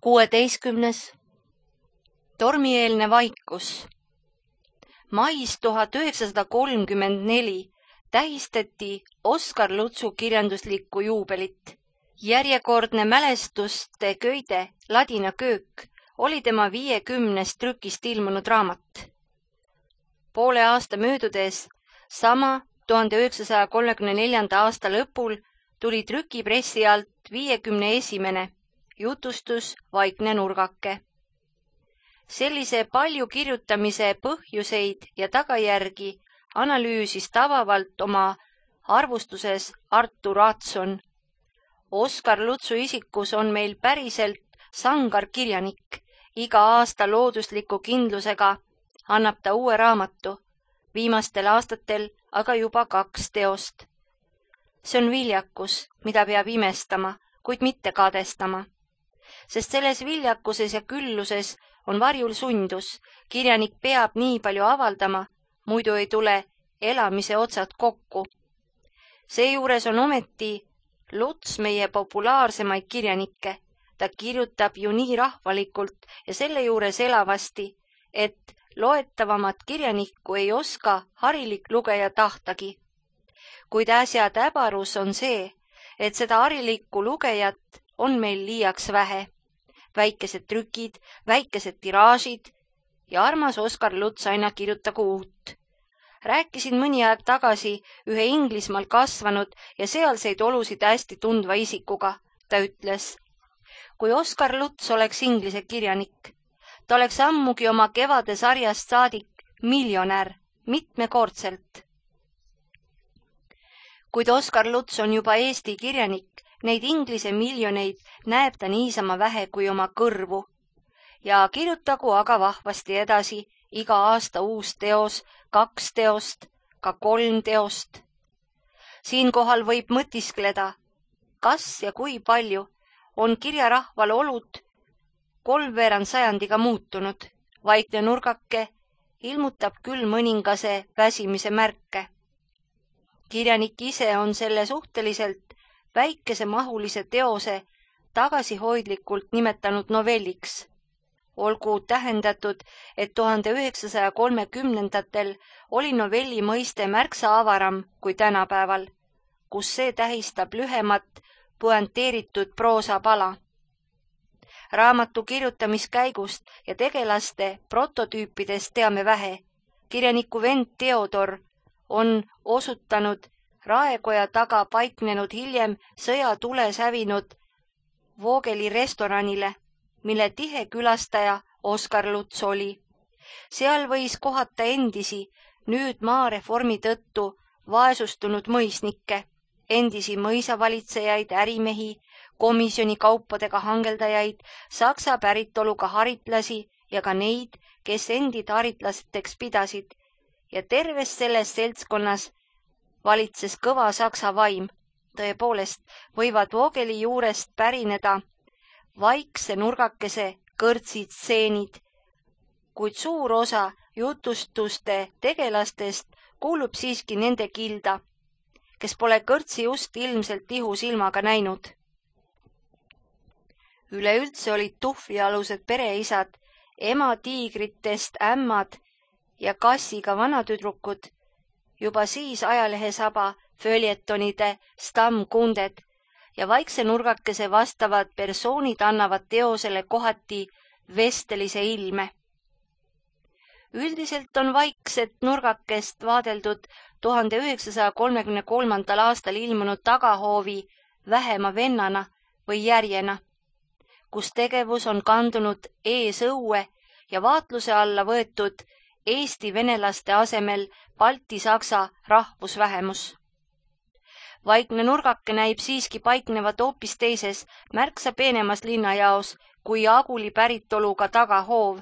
16. Tormieelne vaikus. Mais 1934 tähistati Oskar Lutsu kirjanduslikku juubelit. Järjekordne mälestuste köide Ladina köök oli tema 50 trükist ilmunud raamat. Poole aasta möödudes, sama 1934. aasta lõpul, tuli trükipressi alt 51. jutustus Vaikne nurgake. Sellise palju kirjutamise põhjuseid ja tagajärgi analüüsis tabavalt oma arvustuses Artur Adson. Oskar Lutsu isikus on meil päriselt sangar kirjanik. Iga aasta loodusliku kindlusega annab ta uue raamatu, viimastel aastatel aga juba 2 teost. See on viljakus, mida peab imestama, kuid mitte kadestama. Sest selles viljakuses ja külluses on varjul sundus. Kirjanik peab nii palju avaldama, muidu ei tule elamise otsad kokku. Seejuures on ometi Luts meie populaarsemaid kirjanikke. Ta kirjutab ju nii rahvalikult ja selle juures elavasti, et loetavamat kirjanikku ei oska harilik lugeja tahtagi. Kuid äsja täbarus on see, et seda harilikku lugejat on meil liiaks vähe. Väikesed trükid, väikesed tiraažid ja armas Oskar Luts aina kirjutagu uut. Rääkisin mõni aeg tagasi ühe Inglismaal kasvanud ja sealseid olusid hästi tundva isikuga. Ta ütles, kui Oskar Luts oleks inglise kirjanik, ta oleks ammugi oma kevade sarjast saadik miljonär, mitmekordselt. Kuid Oskar Luts on juba Eesti kirjanik, neid inglise miljoneid näeb ta niisama vähe kui oma kõrvu. Ja kirjutagu aga vahvasti edasi, iga aasta uus teos, 2 teost, ka 3 teost. Siinkohal võib mõtiskleda, kas ja kui palju on kirjarahval olud 3/4 sajandiga muutunud. Vaikne nurgake ilmutab küll mõningase väsimise märke. Kirjanik ise on selle suhteliselt väikesemahulise teose tagasihoidlikult nimetanud novelliks. Olgu tähendatud, et 1930-ndatel oli novelli mõiste märksa avaram kui tänapäeval, kus see tähistab lühemat puanteeritud proosapala. Raamatu kirjutamiskäigust ja tegelaste prototüüpidest teame vähe. Kirjaniku vend Theodor on osutanud raekoja taga paiknenud hiljem sõjatules hävinud Voogeli restoranile, mille tihe külastaja Oskar Luts oli. Seal võis kohata endisi, nüüd maareformi tõttu vaesustunud mõisnikke, endisi mõisavalitsejaid, ärimehi, komisjoni kaupadega hangeldajaid, saksa päritoluga haritlasi ja ka neid, kes endid haritlasteks pidasid. Ja terves selles seltskonnas valitses kõva saksa vaim. Tõepoolest võivad Voogeli juurest pärineda Vaikse nurgakese kõrtsid stseenid, kuid suur osa jutustuste tegelastest kuulub siiski nende kilda, kes pole kõrtsi just ilmselt ihusilmaga näinud. Üleüldse olid tuhvlialused pereisad, ematiigritest ämmad ja kassiga vanatüdrukud, juba siis ajalehesaba, följetonide, stammkunded ja Vaikse nurgakese vastavad persoonid annavad teosele kohati vestelise ilme. Üldiselt on Vaikset nurgakest vaadeldud 1933. aastal ilmunud Tagahoovi vähema vennana või järjena, kus tegevus on kandunud eesõue ja vaatluse alla võetud Eesti venelaste asemel balti-saksa rahvusvähemus. Vaikne nurgake näib siiski paiknevat hoopis teises, märksa peenemas linnajaos kui Aguli päritoluga Tagahoov,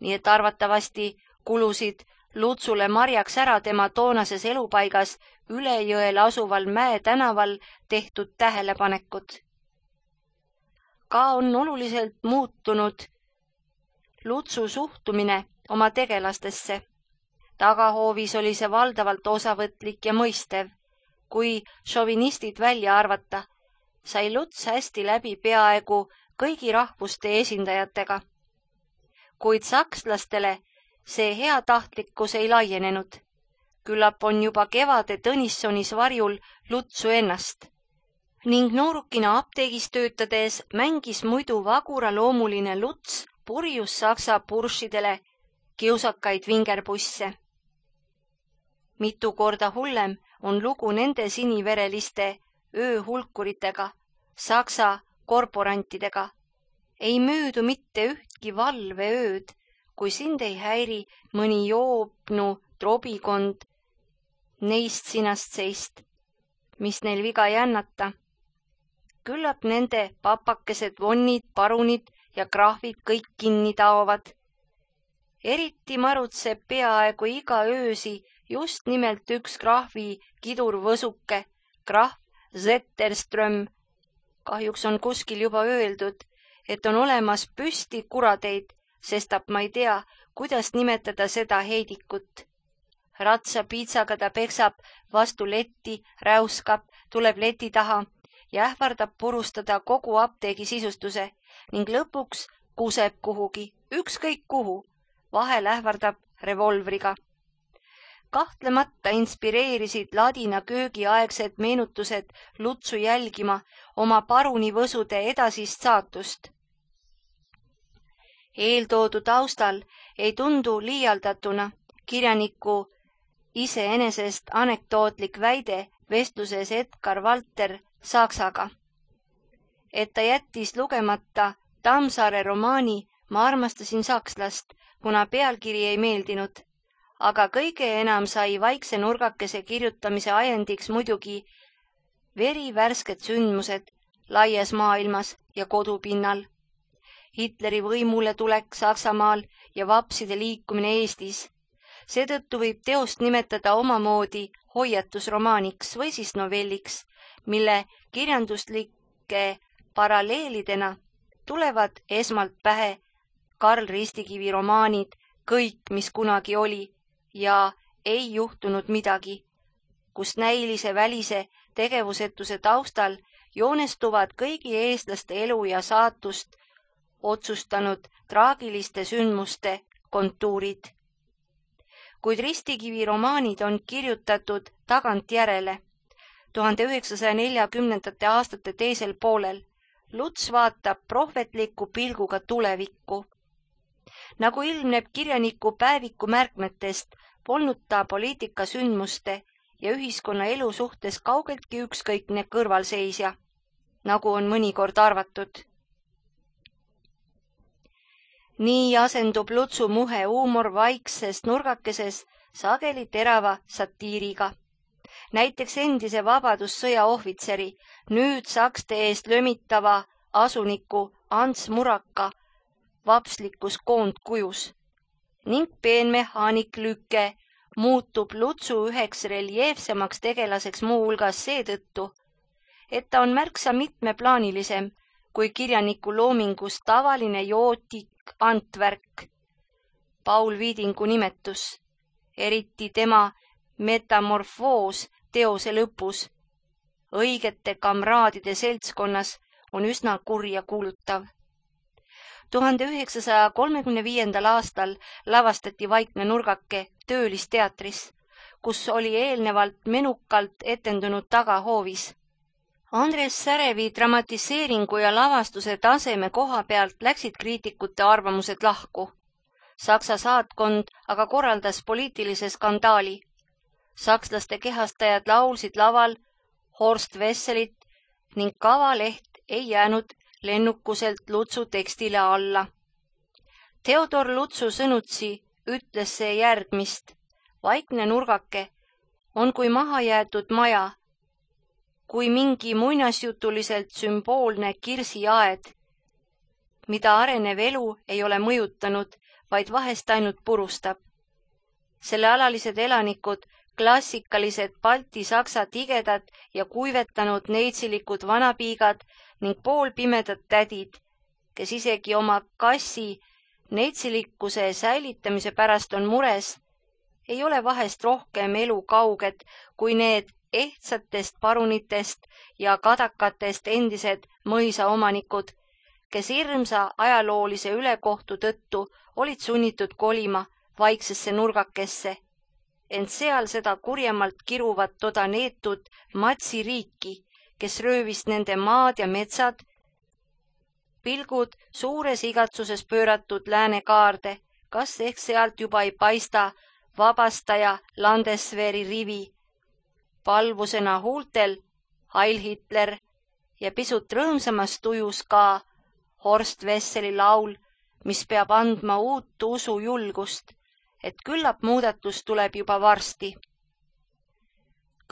nii et arvatavasti kulusid Lutsule marjaks ära tema toonases elupaigas üle jõel asuval Mäe tänaval tehtud tähelepanekud. Ka on oluliselt muutunud Lutsu suhtumine oma tegelastesse. Tagahoovis oli see valdavalt osavõtlik ja mõistev. Kui šovinistid välja arvata, sai Luts hästi läbi peaaegu kõigi rahvuste esindajatega. Kuid sakslastele see heatahtlikkus ei laienenud. Küllap on juba kevade Tõnissonis varjul Lutsu ennast. Ning noorukina apteegis töötades mängis muidu vaguraloomuline Luts purjus saksa puršidele kiusakaid vingerbusse. Mitu korda hullem on lugu nende sinivereliste ööhulkuritega, saksa korporantidega. Ei möödu mitte ühtki valveööd, kui sind ei häiri mõni joobnu trobikond neist sinast seist, mis neil viga jännata. Küllap nende papakesed, vonnid, parunid ja krahvid kõik kinni taovad. Eriti marutseb peaaegu iga öösi just nimelt üks krahvi kidurvõsuke, krahv Zetterström. Kahjuks on kuskil juba öeldud, et on olemas püsti kuradeid, sestap ma ei tea, kuidas nimetada seda heidikut. Ratsapiitsaga ta peksab vastu letti, räuskab, tuleb leti taha ja ähvardab purustada kogu apteegi sisustuse ning lõpuks kuseb kuhugi, ükskõik kuhu, vahel ähvardab revolvriga. Kahtlemata inspireerisid ladina köögiaegsed meenutused Lutsu jälgima oma parunivõsude edasist saatust. Eeltoodu taustal ei tundu liialdatuna kirjaniku iseenesest anekdootlik väide vestluses Edgar Valter Saksaga, et ta jättis lugemata Tammsaare romaani Ma armastasin sakslast, kuna pealkiri ei meeldinud, aga kõige enam sai vaikse nurgakese kirjutamise ajendiks muidugi verivärsked sündmused laias maailmas ja kodupinnal. Hitleri võimule tulek Saksamaal ja vapside liikumine Eestis. Seetõttu võib teost nimetada omamoodi hoiatusromaaniks või siis novelliks, mille kirjanduslike paralleelidena tulevad esmalt pähe Karl Ristikivi romaanid Kõik, mis kunagi oli ja Ei juhtunud midagi, kus näilise välise tegevusetuse taustal joonestuvad kõigi eestlaste elu ja saatust otsustanud traagiliste sündmuste kontuurid. Kuid Ristikivi romaanid on kirjutatud tagantjärele 1940. aastate teisel poolel. Luts vaatab prohvetliku pilguga tulevikku. Nagu ilmneb kirjaniku päeviku märkmetest, polnud ta poliitikasündmuste ja ühiskonna elu suhtes kaugeltki ükskõikne kõrvalseisja, nagu on mõnikord arvatud. Nii asendub Lutsu muhe huumor vaikses nurgakeses sageli terava satiiriga. Näiteks endise vabadussõja ohvitseri, nüüd sakste eest lömitava asuniku Ants Muraka vapslikus koondkujus ning peenmehaanik Lüke muutub Lutsu üheks reljeefsemaks tegelaseks muuhulgas seetõttu, et ta on märksa mitmeplaanilisem kui kirjaniku loomingus tavaline jootik Antvärk, Paul Viidingu nimetus, eriti tema metamorfoos teose lõpus, õigete kamraadide seltskonnas on üsna kurja kuulutav. 1935. aastal lavastati Vaikne nurgake Töölisteatris, kus oli eelnevalt menukalt etendunud tagahoovis. Andres Särevi dramatiseeringu ja lavastuse taseme koha pealt läksid kriitikute arvamused lahku. Saksa saatkond aga korraldas poliitilise skandaali. Sakslaste kehastajad laulsid laval Horst Wesselit ning kavaleht ei jäänud lennukuselt Lutsu tekstile alla. Theodor Lutsu sõnutsi ütles see järgmist. Vaikne nurgake on kui mahajäetud maja, kui mingi muinasjutuliselt sümboolne kirsiaed, mida arenev elu ei ole mõjutanud, vaid vahest ainult purustab. Selle alalised elanikud, klassikalised balti-saksa tigedad ja kuivetanud neitsilikud vanapiigad ning poolpimedad tädid, kes isegi oma kassi neitsilikkuse säilitamise pärast on mures, ei ole vahest rohkem elu kauged kui need ehtsatest parunitest ja kadakatest endised mõisaomanikud, kes hirmsa ajaloolise ülekohtu tõttu olid sunnitud kolima vaiksesse nurgakesse, ent seal seda kurjemalt kiruvat toda neetud Matsi riiki, kes röövis nende maad ja metsad, pilgud suures igatsuses pööratud läänekaarde, kas ehk sealt juba ei paista vabastaja Landesveri rivi. Palvusena huultel Heil Hitler ja pisut rõõmsamas tujus ka Horst Wesseli laul, mis peab andma uut usu julgust, et küllap muudatus tuleb juba varsti.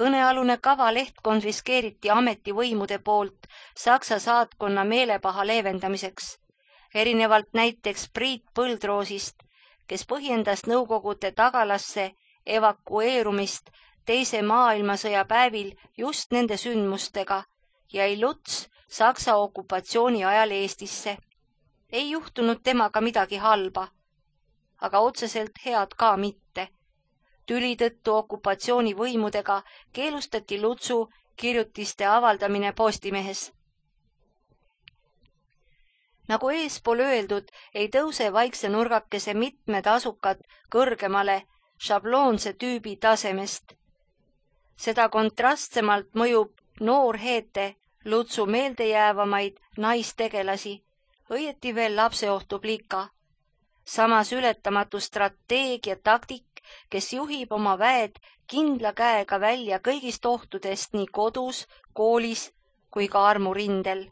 Kõnealune kavaleht konfiskeeriti ametivõimude poolt Saksa saatkonna meelepaha leevendamiseks, erinevalt näiteks Priit Põldroosist, kes põhjendas Nõukogude tagalasse evakueerumist Teise maailmasõja päevil just nende sündmustega ja ei Luts Saksa okupatsiooni ajal Eestisse. Ei juhtunud temaga midagi halba, aga otseselt head ka mitte. Tüli tõttu okupatsioonivõimudega keelustati Lutsu kirjutiste avaldamine Postimehes. Nagu eespool öeldud, ei tõuse vaikse nurgakese mitmed asukad kõrgemale šabloonse tüübi tasemest. Seda kontrastsemalt mõjub noor Heete Lutsu meeldejäävamaid naistegelasi, õieti veel lapseohtu plika. Samas ületamatu strateegia taktik, kes juhib oma väed kindla käega välja kõigist ohtudest nii kodus, koolis kui ka armurindel.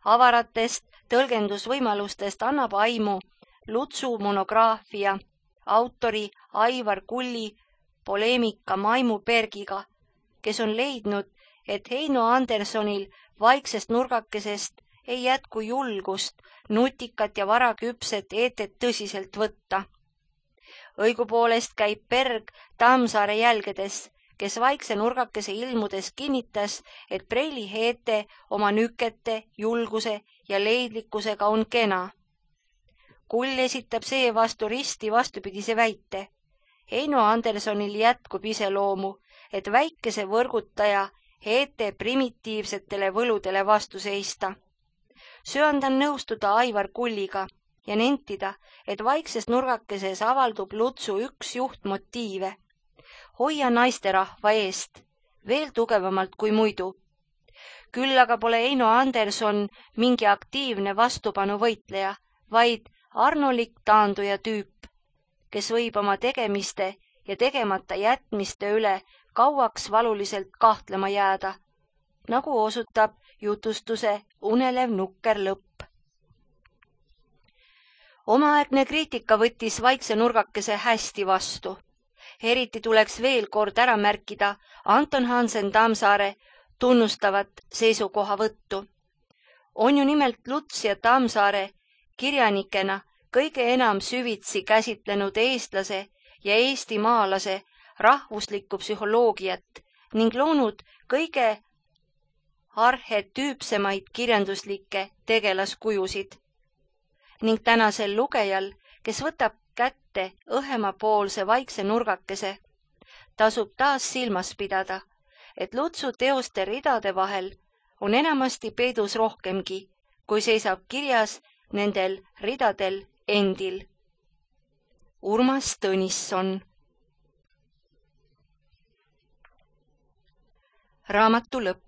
Avaratest tõlgendusvõimalustest annab aimu Lutsu monograafia autori Aivar Kulli poleemika Maimu Bergiga, kes on leidnud, et Heino Andersonil vaiksest nurgakesest ei jätku julgust nutikat ja varaküpset Eetet tõsiselt võtta. Õigupoolest käib Berg Tammsaare jälgedes, kes vaikse nurgakese ilmudes kinnitas, et Preili Heete oma nükete, julguse ja leidlikkusega on kena. Kull esitab seevastu risti vastupidise väite. Heino Andersonil jätkub iseloomu, et väikese võrgutaja Heete primitiivsetele võludele vastu seista. Söandan nõustuda Aivar Kulliga ja nentida, et vaikses nurgakeses avaldub Lutsu üks juhtmotiive. Hoia naisterahva eest, veel tugevamalt kui muidu. Küll aga pole Heino Anderson mingi aktiivne vastupanu võitleja, vaid arnolik taanduja tüüp, kes võib oma tegemiste ja tegemata jätmiste üle kauaks valuliselt kahtlema jääda, nagu osutab jutustuse unelev nukker lõpp. Omaaegne kriitika võttis vaikse nurgakese hästi vastu. Eriti tuleks veel kord ära märkida Anton Hansen Tammsaare tunnustavat seisukohavõttu. On ju nimelt Luts ja Tammsaare kirjanikena kõige enam süvitsi käsitlenud eestlase ja eestimaalase rahvuslikku psühholoogiat ning loonud kõige arhetüüpsemaid kirjanduslikke tegelaskujusid. Ning tänasel lugejal, kes võtab kätte õhemapoolse vaikse nurgakese, tasub taas silmas pidada, et Lutsu teoste ridade vahel on enamasti peidus rohkemgi, kui seisab kirjas nendel ridadel endil. Urmas Tõnisson. Raamatu lõpp.